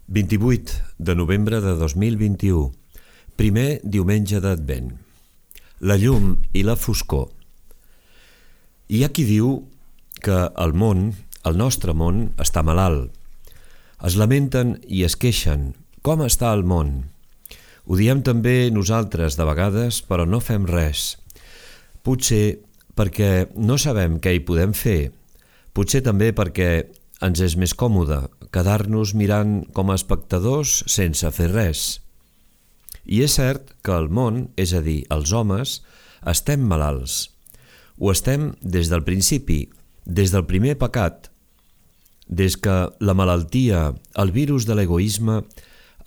28 de novembre de 2021, primer diumenge d'Advent. La llum i la foscor. Hi ha qui diu que el món, el nostre món, està malalt. Es lamenten i es queixen. Com està el món? Ho diem també nosaltres de vegades, però no fem res. Potser perquè no sabem què hi podem fer. Potser també perquè ens és més còmode quedar-nos mirant com a espectadors sense fer res. I és cert que el món, és a dir, els homes, estem malalts. Ho estem des del principi, des del primer pecat, des que la malaltia, el virus de l'egoisme,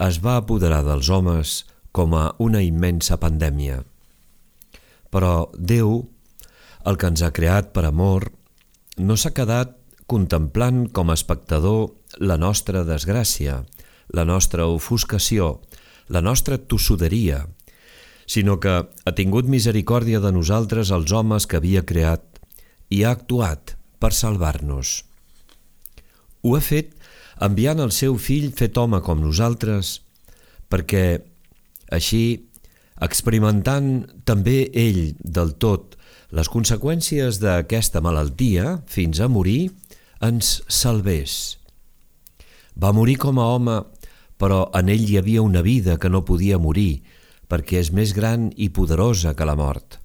es va apoderar dels homes com a una immensa pandèmia. Però Déu, el que ens ha creat per amor, no s'ha quedat contemplant com a espectador la nostra desgràcia, la nostra ofuscació, la nostra tossuderia, sinó que ha tingut misericòrdia de nosaltres els homes que havia creat i ha actuat per salvar-nos. Ho ha fet enviant el seu fill fet home com nosaltres, perquè així, experimentant també ell del tot les conseqüències d'aquesta malaltia fins a morir, ens salvés. Va morir com a home, però en ell hi havia una vida que no podia morir, perquè és més gran i poderosa que la mort.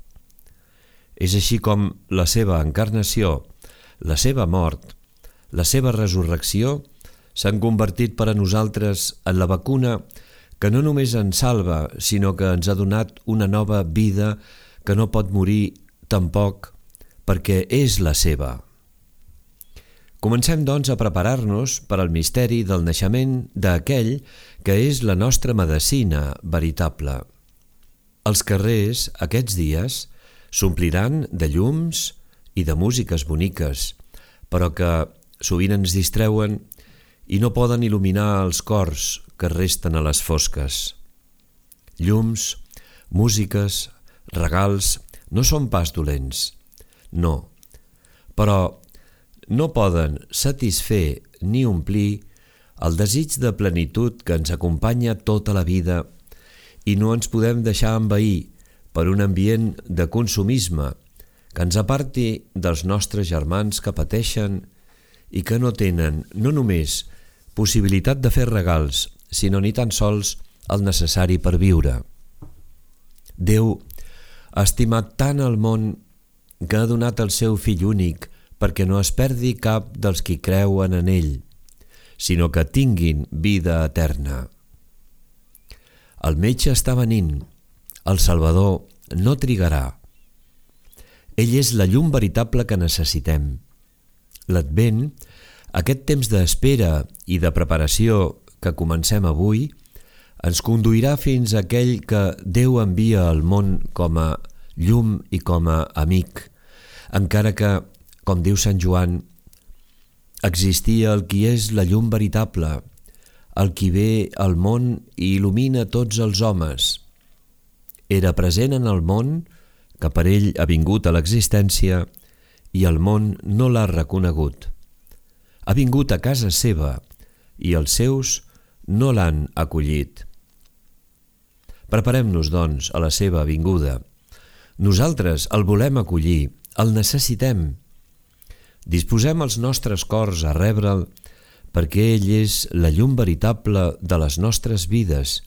És així com la seva encarnació, la seva mort, la seva resurrecció s'han convertit per a nosaltres en la vacuna que no només ens salva, sinó que ens ha donat una nova vida que no pot morir tampoc perquè és la seva. Comencem, doncs, a preparar-nos per al misteri del naixement d'aquell que és la nostra medecina veritable. Els carrers, aquests dies, s'ompliran de llums i de músiques boniques, però que sovint ens distreuen i no poden il·luminar els cors que resten a les fosques. Llums, músiques, regals, no són pas dolents, no, però no poden satisfer ni omplir el desig de plenitud que ens acompanya tota la vida i no ens podem deixar envair per un ambient de consumisme que ens aparti dels nostres germans que pateixen i que no tenen no només possibilitat de fer regals, sinó ni tan sols el necessari per viure. Déu ha estimat tant el món que ha donat el seu fill únic perquè no es perdi cap dels qui creuen en ell, sinó que tinguin vida eterna. El metge està venint, el Salvador no trigarà. Ell és la llum veritable que necessitem. L'Advent, aquest temps d'espera i de preparació que comencem avui, ens conduirà fins a aquell que Déu envia al món com a llum i com a amic, encara que, com diu Sant Joan, existia el qui és la llum veritable, el qui ve al món i il·lumina tots els homes. Era present en el món, que per ell ha vingut a l'existència, i el món no l'ha reconegut. Ha vingut a casa seva i els seus no l'han acollit. Preparem-nos, doncs, a la seva vinguda. Nosaltres el volem acollir, el necessitem. Disposem els nostres cors a rebre'l perquè ell és la llum veritable de les nostres vides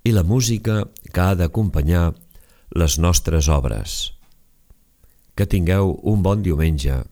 i la música que ha d'acompanyar les nostres obres. Que tingueu un bon diumenge.